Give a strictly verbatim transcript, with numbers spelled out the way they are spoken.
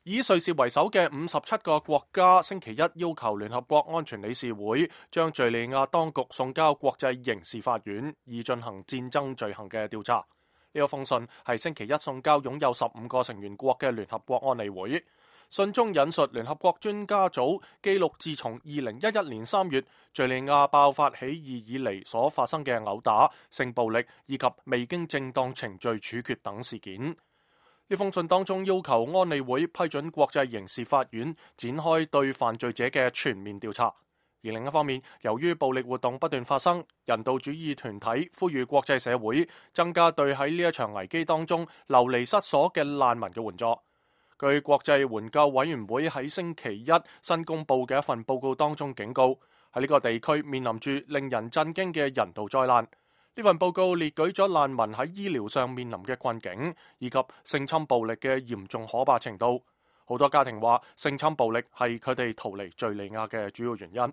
以瑞士為首嘅五十七個國家星期一要求聯合國安全理事會將敘利亞當局送交國際刑事法院，以進行戰爭罪行嘅調查。呢個封信係星期一送交擁有十五個成員國嘅聯合國安理會。信中引述聯合國專家組記錄自從二零一一年三月敘利亞爆發起義以嚟所發生嘅毆打、性暴力以及未經正當程序處決等事件。呢封信當中要求安理會批准國際刑事法院展開對犯罪者嘅全面調查。而另一方面，由於暴力活動不斷發生，人道主義團體呼籲國際社會增加對喺呢一場危機當中流離失所嘅難民嘅援助。據國際援救委員會喺星期一新公佈嘅一份報告當中警告，喺呢個地區面臨住令人震驚嘅人道災難。呢份報告列舉咗難民喺醫療上面臨嘅困境，以及性侵暴力嘅嚴重可怕程度。好多家庭話，性侵暴力係佢哋逃離敘利亞嘅主要原因。